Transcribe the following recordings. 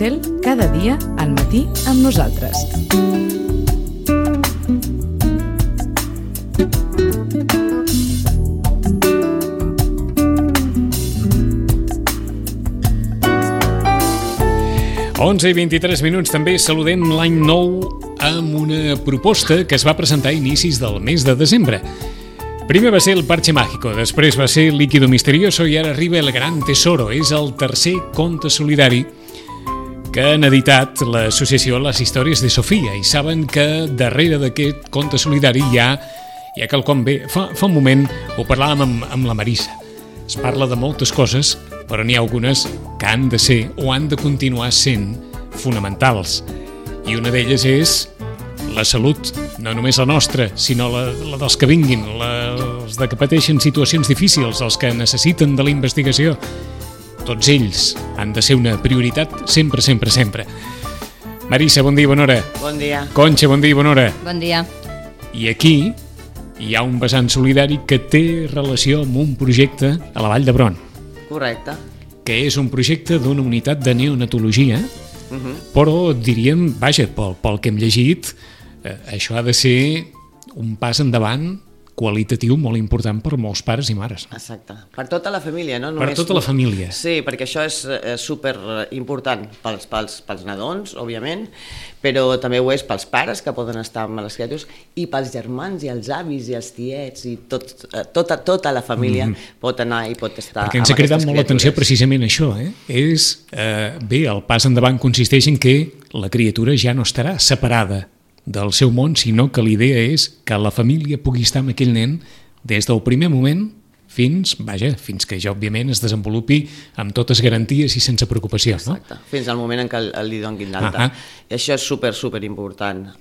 Bacel, cada dia al matí amb nosaltres. Onze i 23 minuts. També saludem l'any nou amb una proposta que es va presentar a inicis del mes de desembre. Primer va ser el Parche Mágico, després va ser Líquido Misterioso i ara arriba el Gran Tesoro. És el tercer conte solidari que han editat l'associació Les Històries de Sofia i saben que darrere d'aquest conte solidari hi ha quelcom bé. Fa un moment ho parlàvem amb la Marisa. Es parla de moltes coses, però n'hi ha algunes que han de ser o han de continuar sent fonamentals. I una d'elles és la salut, no només la nostra, sinó la dels que vinguin, els que pateixen situacions difícils, els que necessiten de la investigació. Tots ells han de ser una prioritat sempre, sempre, sempre. Marisa, bon dia, bona hora. Bon dia. Conxa, bon dia, bona hora. Bon dia. I aquí hi ha un vessant solidari que té relació amb un projecte a la Vall d'Hebron. Correcte. Que és un projecte d'una unitat de neonatologia, però diríem, vaja, pel que hem llegit, això ha de ser un pas endavant qualitatiu molt important per molts pares i mares. Exacte. Per tota la família, no? Per tota la família. Sí, perquè això és super important pels nadons, òbviament, però també ho és pels pares que poden estar amb les criatures i pels germans i els avis i els tiets i tota la família pot anar i pot estar amb aquestes criatures. Perquè ens ha cridat molt l'atenció precisament això, bé, el pas endavant consisteix en que la criatura ja no estarà separada del seu món, sinó que l'idea és que la família pugui estar amb aquell nen des del primer moment fins que ja òbviament es desenvolupi amb totes garanties i sense preocupació. Exacte, no? Fins al moment en què li donin l'alta. I això és super important.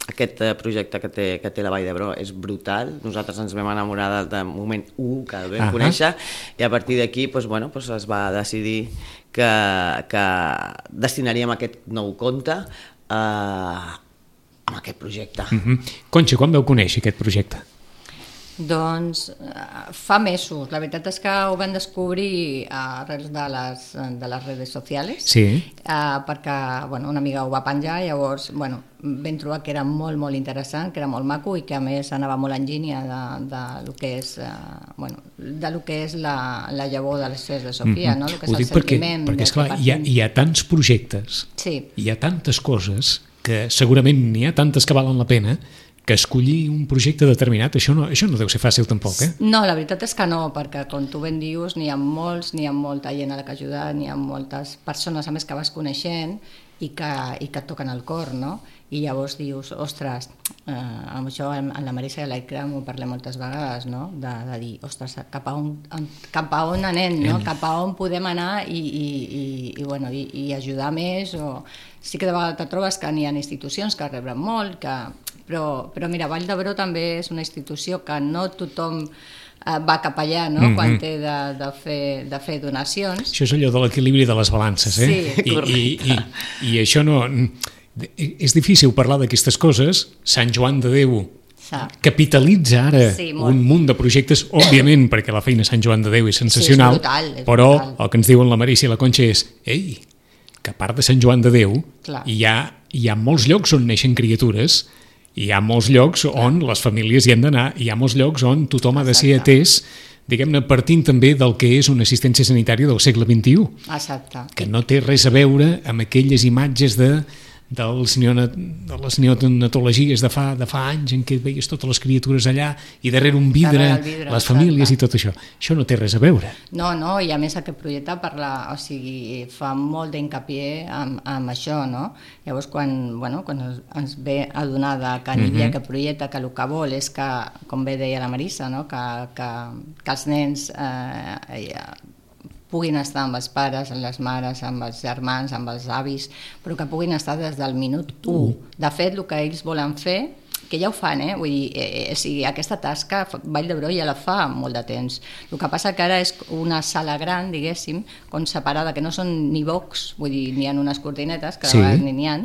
Aquest projecte que té la Vall d'Hebron és brutal. Nosaltres ens vam enamorar del moment 1 que el vam conèixer i a partir d'aquí es va decidir que destinaríem aquest nou conte amb aquest projecte. Conxa, quan vau conèixer aquest projecte? Doncs fa mesos. La veritat és que ho vam descobrir arrels de les redes socials, perquè una amiga ho va penjar i llavors vam trobar que era molt, molt interessant, que era molt maco i que a més anava molt en línia de lo que és la llavor de les Històries de Sofia, no? El que és el sentiment. Perquè esclar, hi ha tants projectes, hi ha tantes coses que segurament n'hi ha tantes que valen la pena que escollir un projecte determinat, això no deu ser fàcil tampoc, No, la veritat és que no, perquè com tu ben dius, n'hi ha molta gent a la que ajudar, n'hi ha moltes persones a més que vas coneixent i que et toquen el cor, no? I llavors dius, ostres, amb això amb la Marisa i l'Aicra m'ho parlem moltes vegades, no? De dir, ostres, cap a on anem, no? Cap a on podem anar i ajudar més, o sí que de vegades te trobes que n'hi ha institucions que reben molt, però mira, Vall d'Hebron també és una institució que no tothom va cap allà, no? Quan té de fer donacions. Això és allò de l'equilibri de les balances, I això no... És difícil parlar d'aquestes coses. Sant Joan de Déu capitalitza ara un munt de projectes, òbviament, perquè la feina de Sant Joan de Déu és sensacional, però el que ens diuen la Marisa i la Conxa és que a part de Sant Joan de Déu hi ha molts llocs on neixen criatures, hi ha molts llocs on les famílies hi han d'anar, hi ha molts llocs on tothom ha de ser atès, diguem-ne, partint també del que és una assistència sanitària del segle XXI. Exacte. Que no té res a veure amb aquelles imatges de les neonatologies de fa anys en què veies totes les criatures allà i darrere un vidre, les famílies i tot això. Això no té res a veure. No, i a més aquest projecte fa molt d'hincapié amb això, no? Llavors quan ens ve a donar que n'hi havia aquest projecte, que el que vol és que, com bé deia la Marisa, no? que els nens puguin estar amb els pares, amb les mares, amb els germans, amb els avis, però que puguin estar des del minut 1. De fet, el que ells volen fer, que ja ho fan, vull dir, aquesta tasca Vall d'Hebron ja la fa molt de temps. El que passa que ara és una sala gran, diguéssim, com separada, que no són ni box, vull dir, n'hi ha unes cortinetes, que de vegades n'hi ha,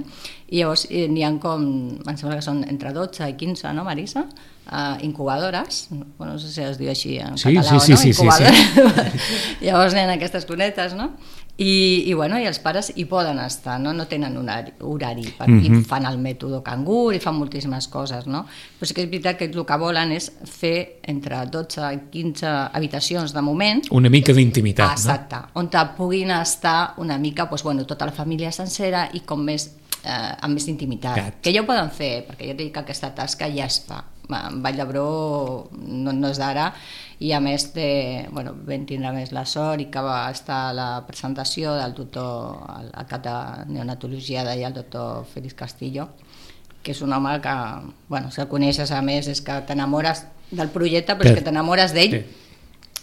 i llavors n'hi ha com, em sembla que són entre 12 i 15, no, Marisa? Incubadores, no sé si es diu així en català o no, incubadores. Llavors n'hi ha aquestes cunetes, no? I els pares hi poden estar, no tenen horari i fan el mètode cangur i fan moltíssimes coses, no? Però sí que és veritat que el que volen és fer entre 12 i 15 habitacions de moment. Una mica d'intimitat, exacte, on puguin estar una mica tota la família sencera i com més amb més intimitat, que ja ho poden fer, perquè jo dic que aquesta tasca ja es fa. Vall d'Hebron no és d'ara, i a més vam tindre més la sort i que va estar a la presentació del doctor, el cap de neonatologia d'allà, el doctor Félix Castillo, que és un home que, si el coneixes a més és que t'enamores del projecte, però és que t'enamores d'ell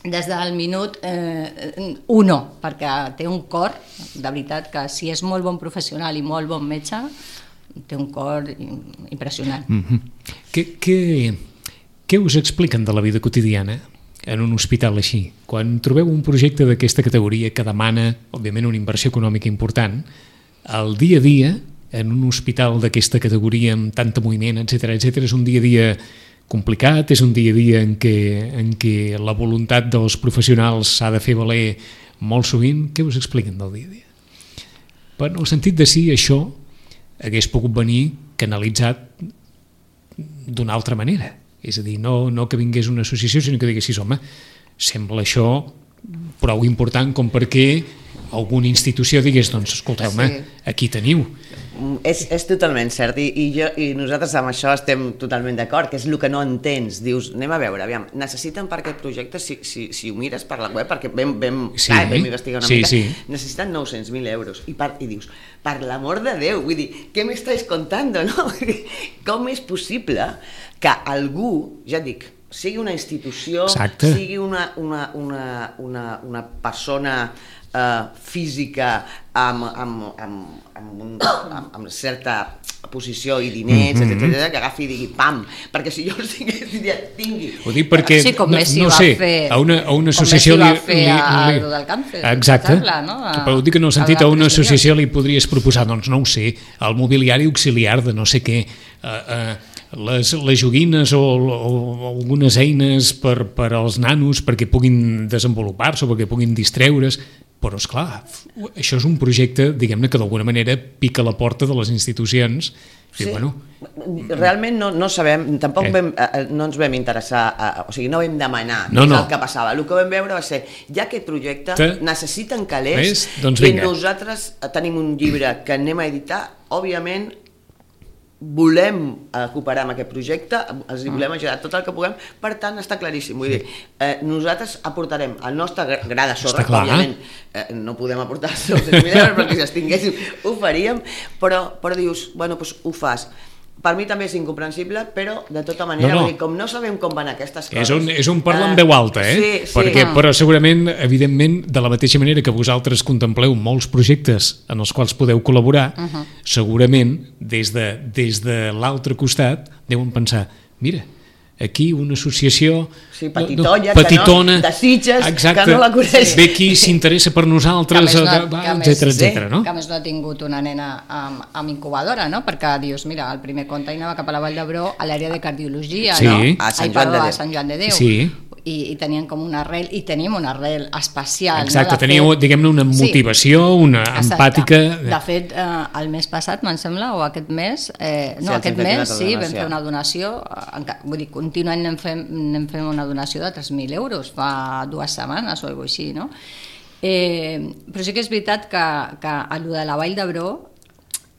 des del minut 1, perquè té un cor, de veritat, que si és molt bon professional i molt bon metge, té un cor impressionant. Què us expliquen de la vida quotidiana en un hospital així? Quan trobeu un projecte d'aquesta categoria que demana, òbviament, una inversió econòmica important, el dia a dia, en un hospital d'aquesta categoria amb tant moviment, etc., és un dia a dia complicat, és un dia a dia en què la voluntat dels professionals s'ha de fer valer molt sovint. Què us expliquen del dia a dia? En el sentit de si això hagués pogut venir canalitzat d'una altra manera. És a dir, no que vingués una associació, sinó que diguessis, home, sembla això prou important com perquè alguna institució digués, doncs, escolteu-me, aquí teniu. És totalment cert, i nosaltres amb això estem totalment d'acord, que és el que no entens. Dius, anem a veure, aviam, necessiten per aquest projecte, si ho mires per la web, perquè vam investigar una mica, necessiten 900.000 euros, i dius, per l'amor de Déu, vull dir, què m'estàs contando, no? Com és possible que algú, ja et dic, sigui una institució, sigui una persona física amb certa posició i diners, etc., que agafi i digui pam, perquè si jo diria tingui. Ho dic perquè, no sé, a una associació li... Com Messi va fer a del càncer. Exacte, però ho dic en el sentit a una associació li podries proposar, doncs no ho sé, el mobiliari auxiliar de no sé què, les joguines o algunes eines per als nanos perquè puguin desenvolupar-se o perquè puguin distreure's, però esclar, això és un projecte, diguem-ne, que d'alguna manera pica la porta de les institucions. Sí, realment no sabem, tampoc no ens vam interessar, o sigui, no vam demanar què és el que passava. El que vam veure va ser, ja aquest projecte necessiten calés, i nosaltres tenim un llibre que anem a editar, òbviament volem cooperar amb aquest projecte, els volem ajudar tot el que puguem, per tant està claríssim, vull dir, nosaltres aportarem el nostre gra de sorra, òbviament no podem aportar els 900.000 euros perquè si els tinguéssim ho faríem, però dius, bueno, doncs ho fas. Per mi també és incomprensible, però de tota manera, com no sabem com van aquestes coses... És un parlar en veu alta, però segurament, evidentment, de la mateixa manera que vosaltres contempleu molts projectes en els quals podeu col·laborar, segurament, des de l'altre costat, deuen pensar, mira, aquí una associació petitona, de Sitges, que no la coneix. Ve qui s'interessa per nosaltres, etc. Que a més no ha tingut una nena amb incubadora, no? Perquè dius, mira, el primer conte anava cap a la Vall d'Hebron a l'àrea de cardiologia, no? A Sant Joan de Déu. Sí. I tenien com una arrel, i tenim una arrel especial. Exacte, teníeu, diguem-ne, una motivació, una empàtica... De fet, el mes passat, me'n sembla, o aquest mes, vam fer una donació, vull dir, continuem anem fent una donació de 3.000 euros, fa 2 setmanes o alguna cosa així, no? Però sí que és veritat que allò de la Vall d'Hebron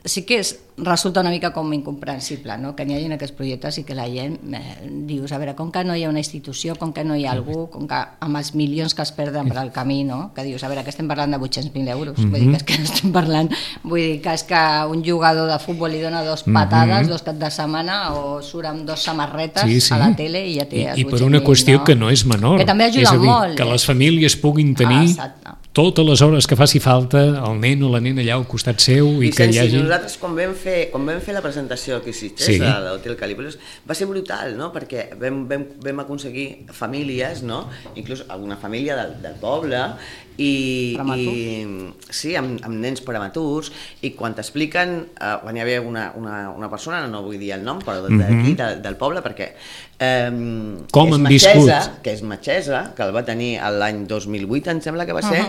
sí que resulta una mica com incomprensible, no? Que n'hi hagi aquests projectes i que la gent dius, a veure, com que no hi ha una institució, com que no hi ha algú, com que amb els milions que es perden per al camí, no? Que dius, a veure, que estem parlant de 800.000 euros, vull dir que és que no estem parlant, vull dir que és que un jugador de futbol li dona 2 patades 2 caps de setmana o surt amb 2 samarretes a la tele i ja té els 800.000. I per una qüestió que no és menor, que també ajuda molt, que les famílies puguin tenir totes les hores que faci falta el nen o la nena allà al costat seu i que hi hagi... Nosaltres quan vam fer la presentació aquí a Sitges, a l'Hotel Calípolis, va ser brutal, no? Perquè vam aconseguir famílies, no? Inclús alguna família del poble amb nens prematurs, i quan t'expliquen, quan hi havia una persona, no vull dir el nom, però d'aquí, del poble, perquè com han viscut, que és metgessa, que el va tenir l'any 2008, em sembla que va ser,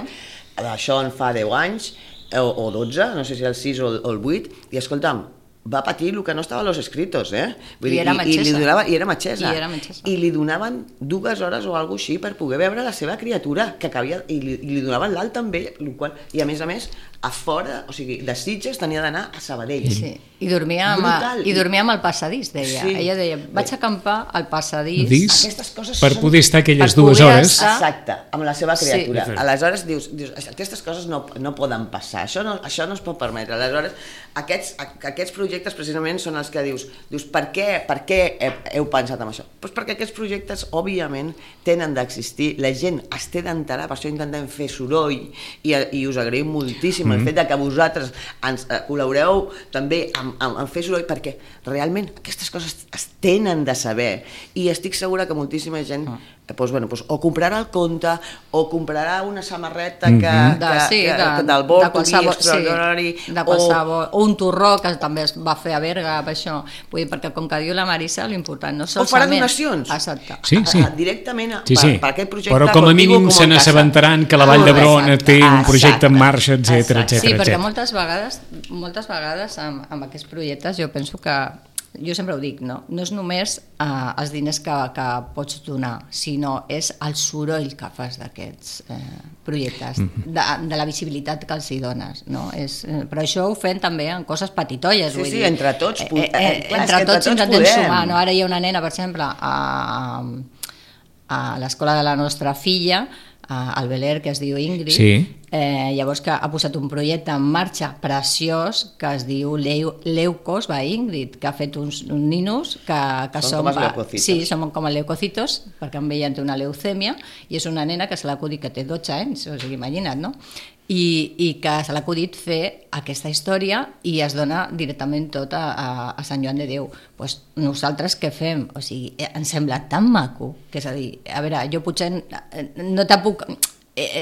això en fa 10 anys, o 12, no sé si el 6 o el 8, i escolta'm, va patir el que no estava a los escritos, Vull dir, era metgessa. I era metgessa. I era metgessa. I li donaven 2 hores o alguna així per poder veure la seva criatura, que cabia, i li donaven l'alta amb ell, i a més, a fora, o sigui, de Sitges tenia d'anar a Sabadell. Sí. I dormia amb el passadís, deia. Sí. Ella deia, vaig a acampar al passadís. Aquestes coses per poder estar aquelles per 2 poder hores. estar- Exacte, amb la seva criatura. Sí. Aleshores dius, aquestes coses no poden passar, això no es pot permetre. Aleshores, aquests projectes precisament són els que dius per què heu pensat en això? Doncs perquè aquests projectes, òbviament, tenen d'existir, la gent es té d'enterar, per això intentem fer soroll, i us agraïm moltíssim el fet de que vosaltres ens col·laboreu també en fer soroll, perquè realment aquestes coses es tenen de saber, i estic segura que moltíssima gent o comprarà el conte o comprarà una samarreta del Born to Be Extraordinary, o un torró que també es va fer a Berga, per això. Vull dir, perquè com que diu la Marisa, l'important no solament... O farà donacions. Exacte. Sí. Directament per aquest projecte. Però com a mínim se n'assabentaran que la Vall d'Hebron té un projecte en marxa, etc. Sí, perquè moltes vegades amb aquests projectes jo penso que, jo sempre ho dic, no és només els diners que pots donar, sinó és el soroll que fas d'aquests projectes, de la visibilitat que els hi dones, no? Però això ho fem també en coses petitolles, vull dir. Sí, entre tots. Entre tots intentem sumar, no? Ara hi ha una nena, per exemple, a l'escola de la nostra filla, al Beler, que es diu Ingrid, llavors que ha posat un projecte en marxa preciós que es diu Leucos by Ingrid, que ha fet uns ninos que són com els leucocitos. Sí, són com els leucocitos, perquè amb ella té una leucèmia, i és una nena que se l'ha acudit, que té 12 anys, o sigui, imagina't, no? I que se l'ha acudit fer aquesta història i es dona directament tot a Sant Joan de Déu. Pues nosaltres què fem? O sigui, ens sembla tan maco, que és a dir, a veure, jo potser no te puc...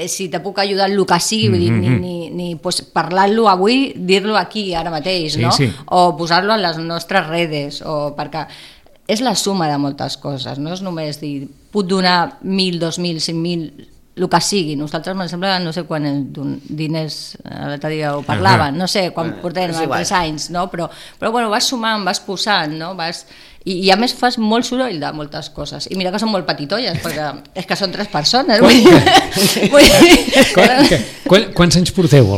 si te puc ajudar en el que sigui, vull dir, ni pues, parlar-lo avui, dir-lo aquí ara mateix, no? O posar-lo en les nostres redes, perquè és la suma de moltes coses, no és només dir, puc donar 1.000, 2.000, 5.000, el que sigui. Nosaltres, em sembla, no sé quan diners, l'altre dia ho parlaven, no sé, quan portem 3 anys, no? Però bueno, vas sumant, vas posant, no? I a més fas molt soroll de moltes coses. I mira que són molt petitolles, perquè és que són 3 persones. Quants anys porteu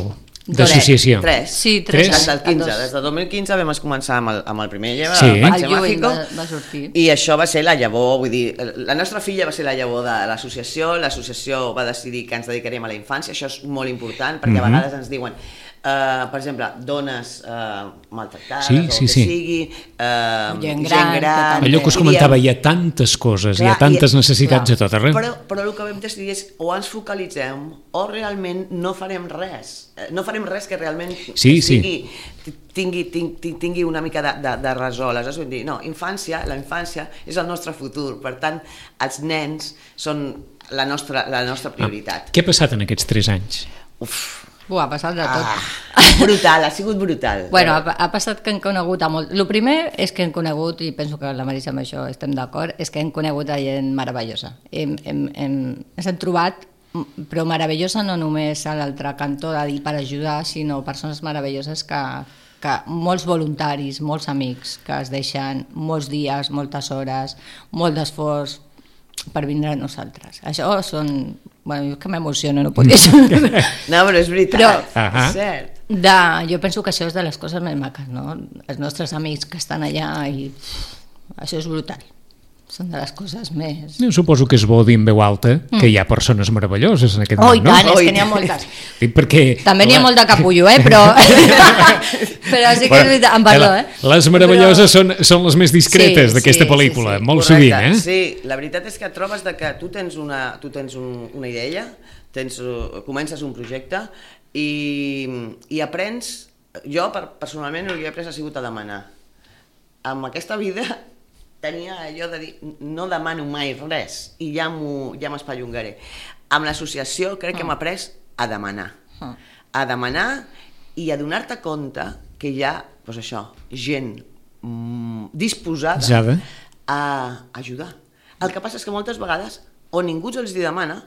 d'associació? 3. Sí, 3 anys. Des de 2015 vam començar amb el primer lleva, Sí. el Parche El Mágico, va sortir. i això va ser la llavor, vull dir, la nostra filla va ser la llavor de l'associació va decidir que ens dedicarem a la infància, això és molt important, perquè a vegades ens diuen, per exemple, dones maltractades, o el que sigui, gent gran... Allò que us comentava, hi ha tantes coses, hi ha tantes necessitats a tot arreu. Però el que vam decidir és o ens focalitzem o realment no farem res. No farem res que realment tingui una mica de resol. Aleshores vam dir, no, la infància és el nostre futur, per tant, els nens són la nostra prioritat. Què ha passat en aquests 3 anys? Ha passat de tot. Brutal, ha sigut brutal. Bueno, ha passat que hem conegut a molt... El primer és que hem conegut, i penso que la Marisa amb això estem d'acord, és que hem conegut a gent meravellosa. Ens hem trobat, però meravellosa no només a l'altre cantó de dir per ajudar, sinó persones meravelloses que molts voluntaris, molts amics, que es deixen molts dies, moltes hores, molt d'esforç per vindre a nosaltres. Això són... Bueno, jo que m'emociono, no pot dir això. No, però és veritat, és cert. Jo penso que això és de les coses més maques, no? Els nostres amics que estan allà i això és brutal. Són de les coses més... Jo suposo que és bo dir en veu alta que hi ha persones meravelloses en aquest món, i tant, és que n'hi ha moltes. Perquè, també n'hi ha molt de capullo, però sí que és veritat, em parlo, Les meravelloses són les més discretes d'aquesta pel·lícula, molt sovint, Sí, la veritat és que trobes que tu tens una idea, comences un projecte i aprens, jo personalment el que he après ha sigut a demanar. Amb aquesta vida tenia allò de dir, no demano mai res i ja m'espallongaré. Amb l'associació crec que hem après a demanar i a donar-te compte que hi ha, doncs això, gent disposada a ajudar. El que passa és que moltes vegades o ningú els demana,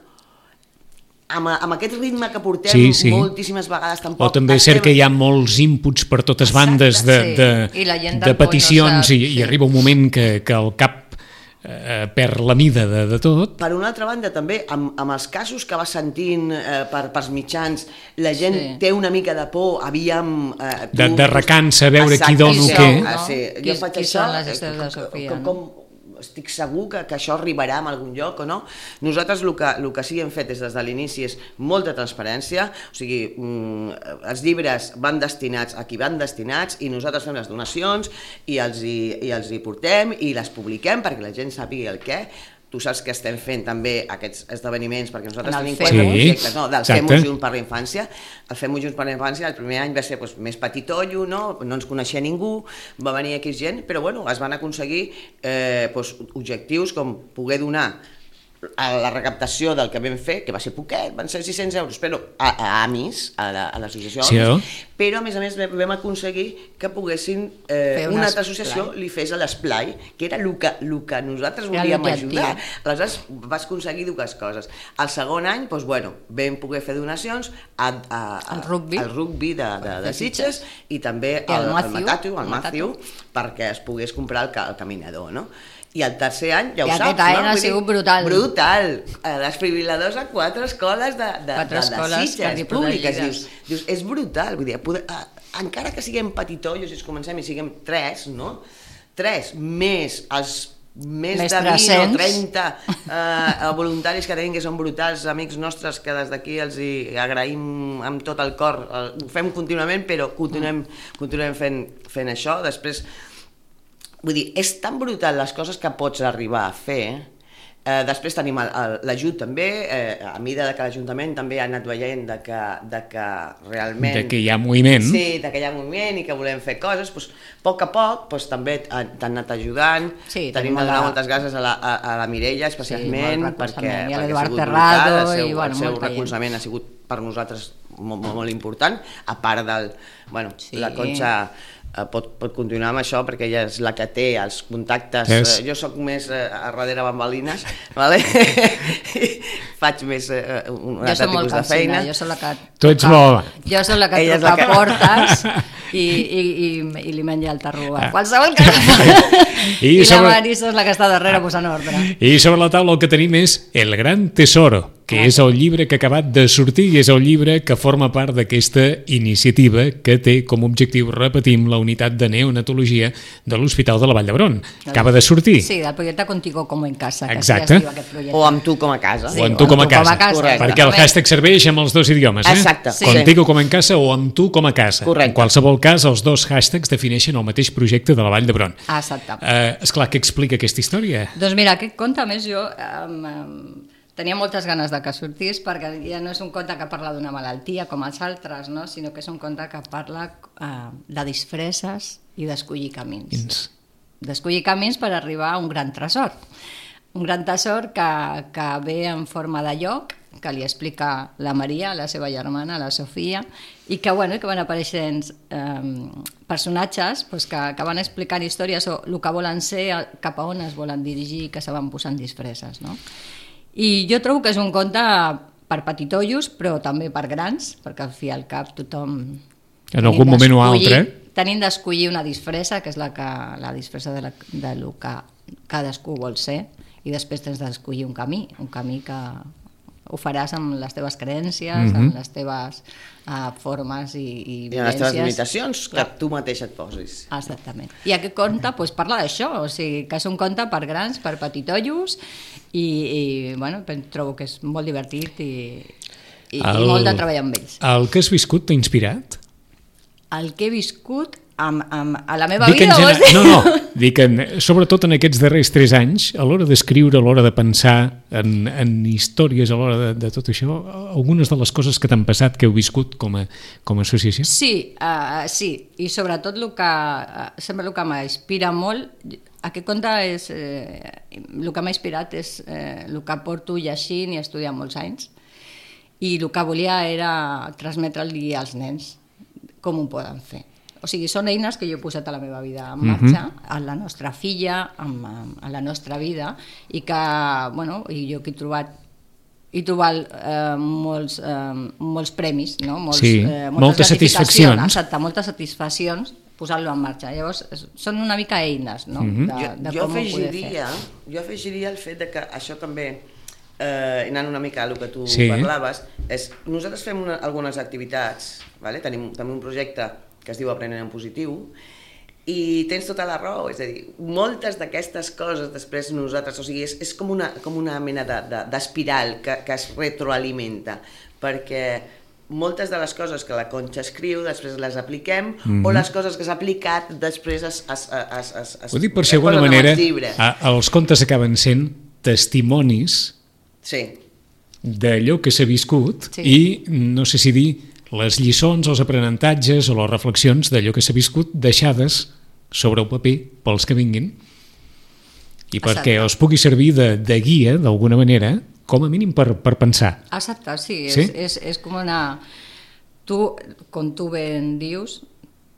amb aquest ritme que portem moltíssimes vegades tampoc... O també és cert que hi ha molts inputs per totes bandes de peticions i arriba un moment que el cap perd la mida de tot. Per una altra banda, també, amb els casos que va sentint pels mitjans, la gent té una mica de por, de recança, veure qui dona o què. Jo faig això, estic segur que això arribarà a algun lloc o no. Nosaltres el que sí que hem fet des de l'inici és molta transparència, o sigui, els llibres van destinats a qui van destinats i nosaltres fem les donacions i els hi portem i les publiquem perquè la gent sàpiga el què. Tu saps que estem fent també aquests esdeveniments, perquè nosaltres tenim 4 projectes del Fem-ho Junts per la Infància. El Fem-ho Junts per la Infància el primer any va ser més petitollo, no ens coneixia ningú, va venir aquí gent, però es van aconseguir objectius com poder donar a la recaptació del que vam fer, que va ser poquet, van ser 600 euros, però a AMIS, a l'associació AMIS, però a més vam aconseguir que poguessin, una altra associació li fes a l'esplai, que era el que nosaltres volíem ajudar. Aleshores vas aconseguir dues coses. El segon any, vam poder fer donacions al rugby de Sitges i també al Matthew, perquè es pogués comprar el caminador, no? I el tercer any, ja ho saps, no? Aquest any ha sigut brutal. Brutal. Desfibriladors a 4 escoles de Sitges públiques. Dius, és brutal. Vull dir, encara que siguem petitollos i comencem i siguem 3, no? 3 més els més de 20 o 30 voluntaris que tenim, que són brutals, amics nostres, que des d'aquí els hi agraïm amb tot el cor. Ho fem contínuament, però continuem fent això. Després, vull dir, és tan brutal les coses que pots arribar a fer. Després tenim l'ajut també, a mida que l'Ajuntament també ha anat veient que realment... De que hi ha moviment. Sí, de que hi ha moviment i que volem fer coses, a poc també t'han anat ajudant. Tenim de donar moltes gràcies a la Mireia, especialment, perquè ha sigut brutal, el seu recolzament ha sigut per nosaltres molt important, a part la Conxa pot continuar amb això perquè ella és la que té els contactes. Jo sóc més a darrere bambalines, faig més un altre tipus de feina. Jo soc la que toca portes i li menja el tarro a qualsevol que i la Marisa és la que està darrere posant ordre. I sobre la taula el que tenim és El Gran Tesoro, que és el llibre que ha acabat de sortir i és el llibre que forma part d'aquesta iniciativa que té com a objectiu, repetim, la unitat de neonatologia de l'Hospital de la Vall d'Hebron. Acaba de sortir. Sí, del projecte Contigo como en casa. Exacte. O amb tu com a casa. O amb tu com a casa. Perquè el hashtag serveix amb els 2 idiomes. Exacte. Contigo como en casa o amb tu com a casa. Correcte. En qualsevol cas, els 2 hashtags defineixen el mateix projecte de la Vall d'Hebron. Exacte. Esclar, què explica aquesta història? Doncs mira, aquest conte, a més, jo tenia moltes ganes de que sortís perquè ja no és un conte que parla d'una malaltia com els altres, no? Sinó que és un conte que parla de disfresses i d'escollir camins. D'escollir camins per arribar a un gran tresor. Un gran tresor que ve en forma de lloc, que li explica la Maria, la seva germana, la Sofia, i que van apareixent personatges que van explicant històries o el que volen ser, cap a on es volen dirigir, que se van posant disfresses, no? I jo trobo que és un conte per petitollos, però també per grans, perquè al fi i al cap tothom... En algun moment o altre. Tenim d'escollir una disfressa, que és la disfressa de lo que cadascú vol ser, i després tens d'escollir un camí que ho faràs amb les teves creences, amb les teves formes i vivències. I amb les teves limitacions que tu mateix et posis. Exactament. I aquest conte parla d'això, o sigui, que és un conte per grans, per petitollos, i trobo que és molt divertit i molt de treballar amb ells. El que has viscut t'ha inspirat? El que he viscut a la meva vida? No, dic sobretot en aquests darrers 3 anys, a l'hora d'escriure, a l'hora de pensar en històries, a l'hora de tot això, algunes de les coses que t'han passat, que heu viscut com a associació? Sí, i sobretot sempre el que m'inspira molt, aquest conte és, el que m'ha inspirat és el que porto llegint i estudiant molts anys, i el que volia era transmetre-li als nens com ho poden fer. O sigui, són eines que jo he posat a la meva vida en marxa, a la nostra filla, a la nostra vida, i que, i jo que he trobat i trobar molts premis, no? Moltes satisfaccions. Exacte, moltes satisfaccions, posar-lo en marxa. Llavors, són una mica eines, no? De com ho poder fer. Jo afegiria el fet de que això també, anant una mica a el que tu parlaves, és nosaltres fem algunes activitats, tenim també un projecte que es diu Aprenent en Positiu, i tens tota la raó, és a dir, moltes d'aquestes coses després nosaltres, o sigui, és com una mena d'espiral que es retroalimenta, perquè moltes de les coses que la Conxa escriu després les apliquem, o les coses que s'ha aplicat després ho dic per si d'alguna manera, els contes acaben sent testimonis d'allò que s'ha viscut i no sé si dir les lliçons, els aprenentatges o les reflexions d'allò que s'ha viscut deixades sobre el paper pels que vinguin i perquè els pugui servir de guia d'alguna manera, com a mínim per pensar. Exacte, sí? És com una... Com tu ben dius,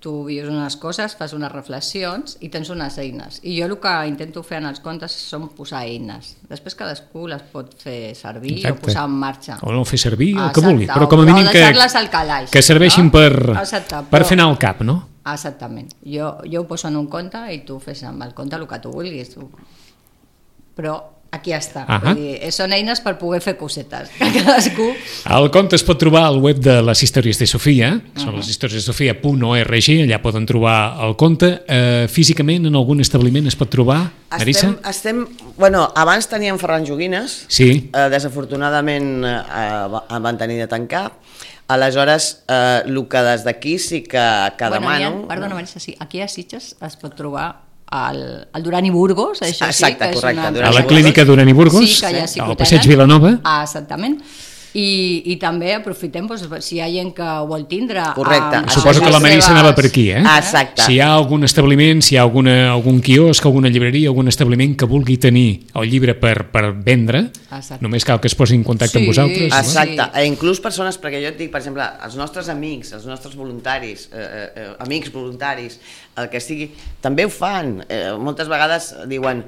tu vius unes coses, fas unes reflexions i tens unes eines. I jo el que intento fer en els contes són posar eines. Després cadascú les pot fer servir o posar en marxa. O no fer servir el que vulgui, però com a mínim que serveixin per fer anar al cap, no? Exactament. Jo ho poso en un conte i tu fes amb el conte el que tu vulguis. Però aquí està. Vull dir, són eines per poder fer cosetes. Cadascú... El conte es pot trobar al web de les històries de Sofia, són leshistoriasdesofia.org, allà poden trobar el conte. Físicament, en algun establiment es pot trobar, Marissa? Abans teníem Ferran Joguines, desafortunadament van tenir de tancar, aleshores el que des d'aquí sí que demano... Perdona, Marissa, sí, aquí a Sitges es pot trobar al Duran i Burgos, això sí, que és una... A la clínica Duran i Burgos, al passeig Vilanova. Exactament. I també aprofitem, si hi ha gent que ho vol tindre... Correcte. Suposo que la Marissa anava per aquí, eh? Exacte. Si hi ha algun establiment, si hi ha algun quiosc, alguna llibreria, algun establiment que vulgui tenir el llibre per vendre, només cal que es posi en contacte amb vosaltres. Exacte. Inclús persones, perquè jo et dic, per exemple, els nostres amics, els nostres voluntaris, amics voluntaris, el que sigui, també ho fan. Moltes vegades diuen,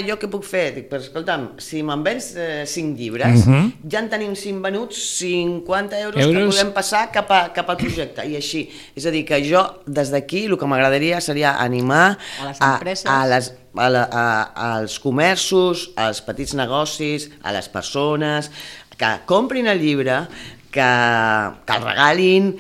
jo què puc fer? Dic, però escolta'm, si me'n vens 5 llibres, ja en tenim 5 venuts, 50 euros que podem passar cap al projecte, i així. És a dir, que jo, des d'aquí, el que m'agradaria seria animar a les empreses, als comerços, als petits negocis, a les persones, que comprin el llibre, que el regalin,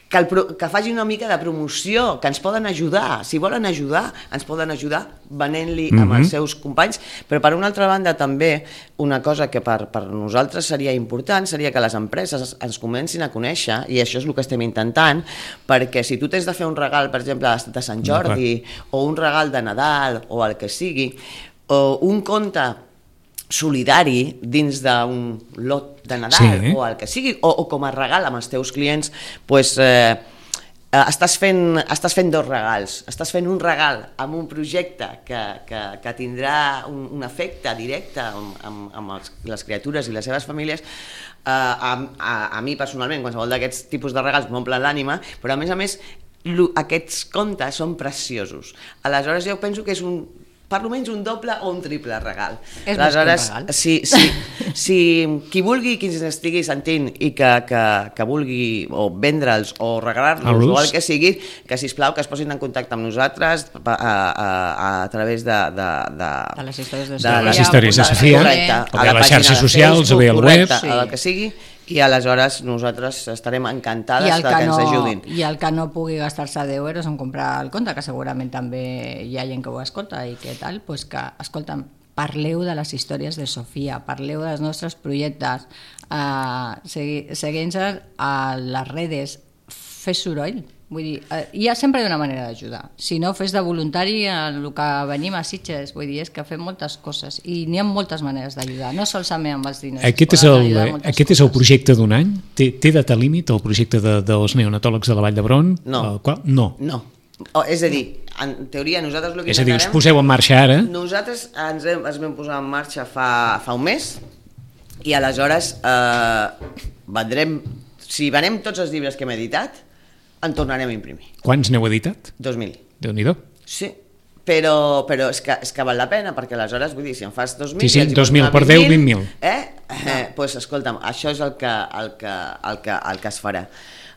que facin una mica de promoció, que ens poden ajudar. Si volen ajudar, ens poden ajudar venent-li amb els seus companys, però per una altra banda també una cosa que per nosaltres seria important seria que les empreses ens comencin a conèixer, i això és el que estem intentant, perquè si tu tens de fer un regal, per exemple, de Sant Jordi, o un regal de Nadal, o el que sigui, o un conte solidari dins d'un lot de Nadal, o el que sigui, o com a regal amb els teus clients, doncs estàs fent 2 regals. Estàs fent un regal amb un projecte que tindrà un efecte directe amb les criatures i les seves famílies. A mi personalment, qualsevol d'aquests tipus de regals m'omplen l'ànima, però a més aquests contes són preciosos. Aleshores jo penso que és per almenys un doble o un triple regal. Aleshores, si qui vulgui, qui ens estigui sentint i que vulgui o vendre'ls o regalar-los o el que sigui, que sisplau que es posin en contacte amb nosaltres a través de les històries de Sofia, o bé a les xarxes socials, o bé al web, el que sigui. I aleshores nosaltres estarem encantades que ens ajudin. I el que no pugui gastar-se 10 euros en comprar el conte, que segurament també hi ha gent que ho escolta i que tal, doncs que, escolta'm, parleu de les històries de Sofia, parleu dels nostres projectes, seguint-nos a les redes, fes soroll. Vull dir, sempre hi ha una manera d'ajudar. Si no, fes de voluntari el que venim a Sitges. Vull dir, és que fem moltes coses i n'hi ha moltes maneres d'ajudar, no solament amb els diners. Aquest és el projecte d'un any? Té data límit el projecte dels neonatòlegs de la Vall d'Hebron? No. És a dir, en teoria nosaltres el que és a dir, us poseu en marxa ara? Nosaltres ens vam posar en marxa fa un mes i aleshores vendrem, si venem tots els llibres que hem editat, en tornarem a imprimir. Quants n'heu editat? 2.000. Déu-n'hi-do. Sí, però és que val la pena, perquè aleshores, vull dir, si en fas 2.000... Sí, 2.000 per 10, 20.000. Doncs escolta'm, això és el que es farà.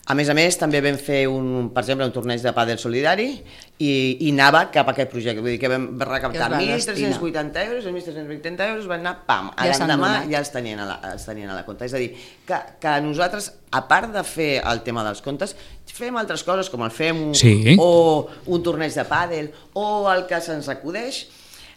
A més, també vam fer, per exemple, un torneig de pàdel solidari i anava cap a aquest projecte. Vull dir que vam recaptar 1.380 euros, 1.380 euros, van anar, pam, l'endemà ja els tenien a la compte. És a dir, que nosaltres, a part de fer el tema dels comptes, fem altres coses, com el FEMU, o un torneig de pàdel, o el que se'ns acudeix,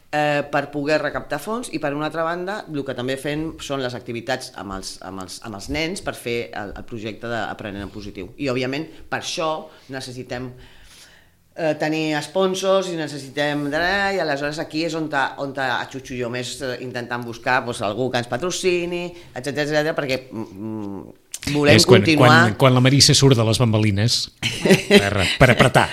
per poder recaptar fons, i per una altra banda el que també fem són les activitats amb els nens per fer el projecte d'Aprenent en Positiu, i òbviament per això necessitem tenir sponsors i necessitem i aleshores aquí és on atxutxo jo més intentant buscar algú que ens patrocini, etcètera, perquè volem continuar... Quan la Marissa surt de les bambalines per apretar,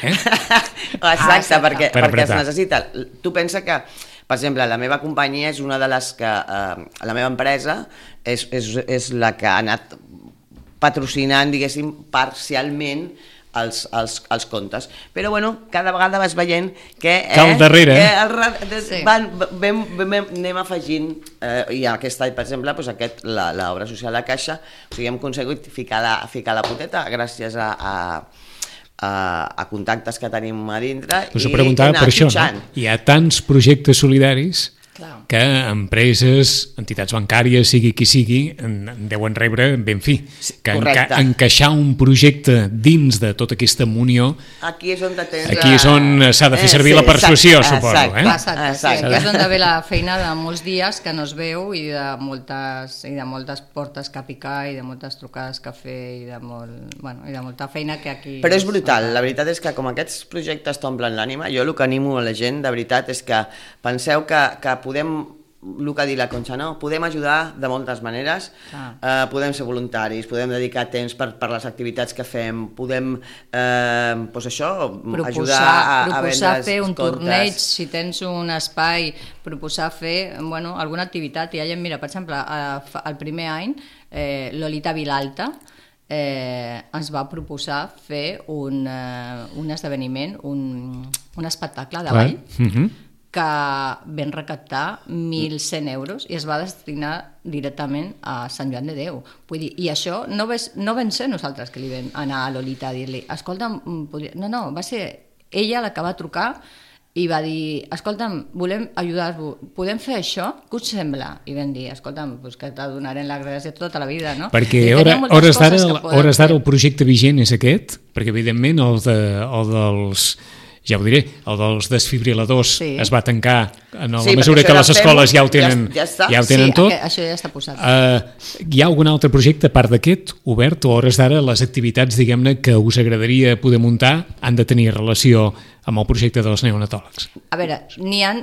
Exacte, perquè es necessita. Tu pensa que, per exemple, la meva companyia és una de les que... La meva empresa és la que ha anat patrocinant, diguéssim, parcialment els comptes. Però, bueno, cada vegada vas veient que... al darrere. Anem afegint, i aquest any, per exemple, l'obra social de Caixa, o sigui, hem aconseguit ficar la poteta gràcies a contactes que tenim a dintre. Us ho preguntava per això, no? Hi ha tants projectes solidaris que empreses, entitats bancàries, sigui qui sigui, en deuen rebre ben fi. Que encaixar un projecte dins de tota aquesta munió, aquí és on s'ha de fer servir la persuasió, suposo. Aquí és on ve la feina de molts dies que no es veu, i de moltes portes que picar, i de moltes trucades que fer, i de molta feina que aquí... Però és brutal, la veritat és que com aquests projectes t'omplen l'ànima, jo el que animo a la gent, de veritat, és que penseu que podem, el que ha dit la Conxa, no? Podem ajudar de moltes maneres, podem ser voluntaris, podem dedicar temps per les activitats que fem, podem ajudar a vendre fer un torneig, si tens un espai, proposar fer alguna activitat. Hi ha gent, mira, per exemple, el primer any Lolita Vilalta ens va proposar fer un esdeveniment, un espectacle de ball, que vam recaptar 1.100 euros i es va destinar directament a Sant Joan de Déu. Vull dir, i això no vam ser nosaltres que li vam anar a Lolita a dir-li, escolta'm, no, va ser ella la que va trucar i va dir, escolta'm, volem ajudar-vos, podem fer això? Què us sembla? I vam dir, escolta'm, que t'adonarem la gràcia tota la vida, no? Perquè hores d'ara el projecte vigent és aquest, perquè evidentment el dels... ja ho diré, el dels desfibriladors es va tancar en la mesura que les escoles ja ho tenen tot. Sí, això ja està posat. Hi ha algun altre projecte, a part d'aquest, obert, o a hores d'ara les activitats, diguem-ne, que us agradaria poder muntar han de tenir relació amb el projecte dels neonatòlegs? A veure,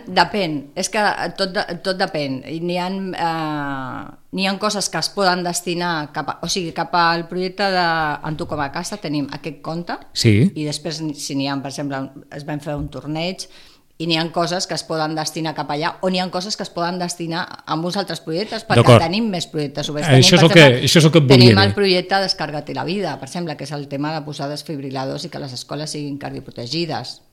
depèn, és que tot depèn. N'hi ha coses que es poden destinar cap al projecte d'En Tu com a casa, tenim aquest compte, i després si n'hi ha, per exemple, es van fer un torneig, i n'hi ha coses que es poden destinar cap allà, o n'hi ha coses que es poden destinar a uns altres projectes, perquè tenim més projectes oberts. Això és el que et volia dir. Tenim el projecte Descarga-te la vida, per exemple, que és el tema de posar desfibriladors i que les escoles siguin cardioprotegides.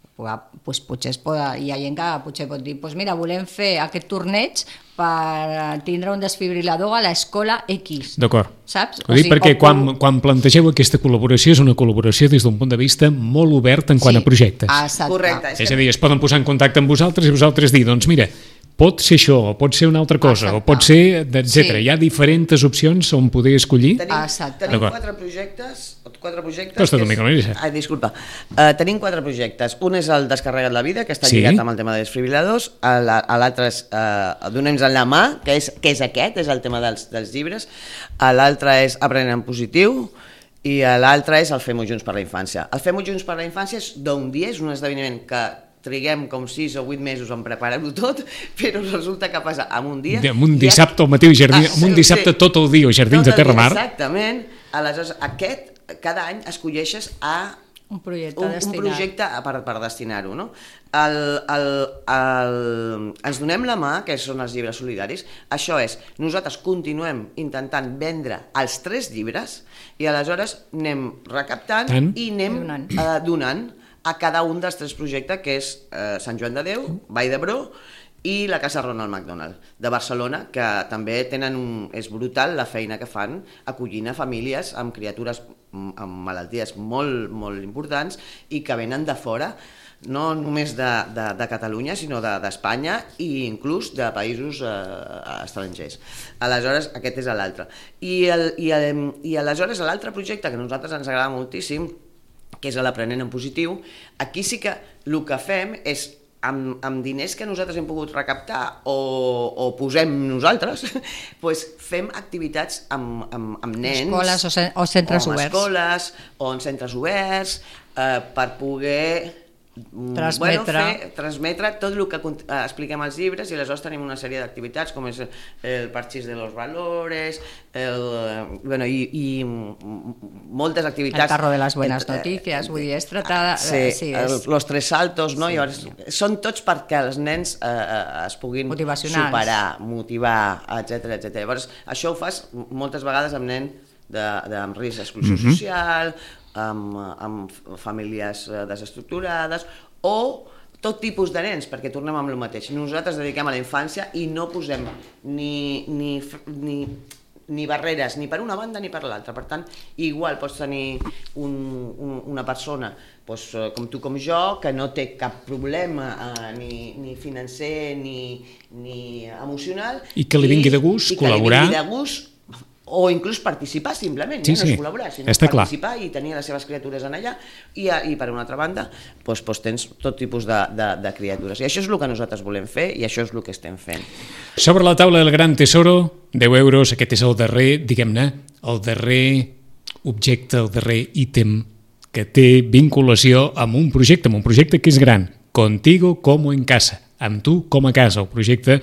Pues potser hi ha gent que potser pot dir, mira, volem fer aquest torneig per tindre un desfibrilador a l'escola X. D'acord. Saps? Ho dic perquè quan plantegeu aquesta col·laboració és una col·laboració des d'un punt de vista molt obert en quant a projectes. Correcte. És a dir, es poden posar en contacte amb vosaltres i vosaltres dir, doncs mira, pot ser això, o pot ser una altra cosa, o pot ser, etc. Hi ha diferents opcions on poder escollir. Tenim 4 projectes. Costa una mica, Marissa. Disculpa. Tenim 4 projectes. Un és el Descarrega't la vida, que està lligat amb el tema de desfibriladors. L'altre és Donem-nos la mà, que és aquest, és el tema dels llibres. L'altre és Aprenent en Positiu. I l'altre és el Fem-ho Junts per la Infància. El Fem-ho Junts per la Infància és d'un dia, és un esdeveniment que triguem com 6 o 8 mesos en preparar-ho tot, però resulta que passa en un dia... En un dissabte al matí, en un dissabte tot el dia, Jardins de Terramar. Exactament. Aleshores, cada any escolleixes a un projecte per destinar-ho, no? Ens donem la mà, que són els llibres solidaris. Això és, nosaltres continuem intentant vendre els 3 llibres i aleshores anem recaptant i anem donant a cada un dels 3 projectes, que és Sant Joan de Déu, Vall d'Hebron i la Casa Ronald McDonald de Barcelona, que també és brutal la feina que fan acollint a famílies amb criatures amb malalties molt, molt importants i que venen de fora, no només de Catalunya, sinó d'Espanya i inclús de països estrangers. Aleshores, aquest és l'altre. I aleshores l'altre projecte que a nosaltres ens agrada moltíssim, que és l'Aprenent en Positiu, aquí sí que el que fem és amb diners que nosaltres hem pogut recaptar o posem nosaltres, doncs fem activitats amb nens, escoles o centres oberts, escoles o en centres oberts, per poder transmetre tot el que expliquem als llibres, i aleshores tenim una sèrie d'activitats com és el Parchís de los Valores i moltes activitats, el Carro de las Buenas Noticias, vull dir, és tratada, los Tres Saltos, no? Llavors, són tots perquè els nens es puguin superar, motivar, etc. Llavors, això ho fas moltes vegades amb nens amb risc d'exclusió social, amb famílies desestructurades o tot tipus de nens, perquè tornem amb el mateix. Nosaltres dediquem a la infància i no posem ni barreres ni per una banda ni per l'altra. Per tant, igual pots tenir una persona com tu com jo, que no té cap problema ni financer ni emocional, i que li vingui de gust col·laborar, o inclús participar simplement, no és col·laborar, sinó participar i tenir les seves criatures en allà, i per una altra banda tens tot tipus de criatures, i això és el que nosaltres volem fer i això és el que estem fent. Sobre la taula del Gran Tesoro, 10 euros, aquest és el darrer, diguem-ne, el darrer objecte, el darrer ítem que té vinculació amb un projecte que és gran, Contigo como en casa, amb tu com a casa, el projecte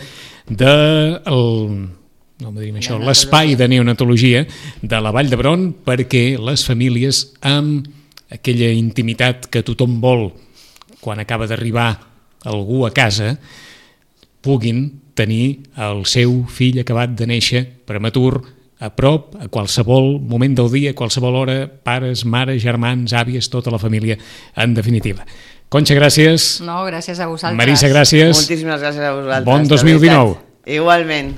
l'espai de neonatologia de la Vall d'Hebron, perquè les famílies amb aquella intimitat que tothom vol quan acaba d'arribar algú a casa puguin tenir el seu fill acabat de néixer prematur a prop, a qualsevol moment del dia, a qualsevol hora, pares, mares, germans, àvies, tota la família, en definitiva. Conxa, gràcies. No, gràcies a vosaltres. Marisa, gràcies. Moltíssimes gràcies a vosaltres. Bon 2019. Igualment.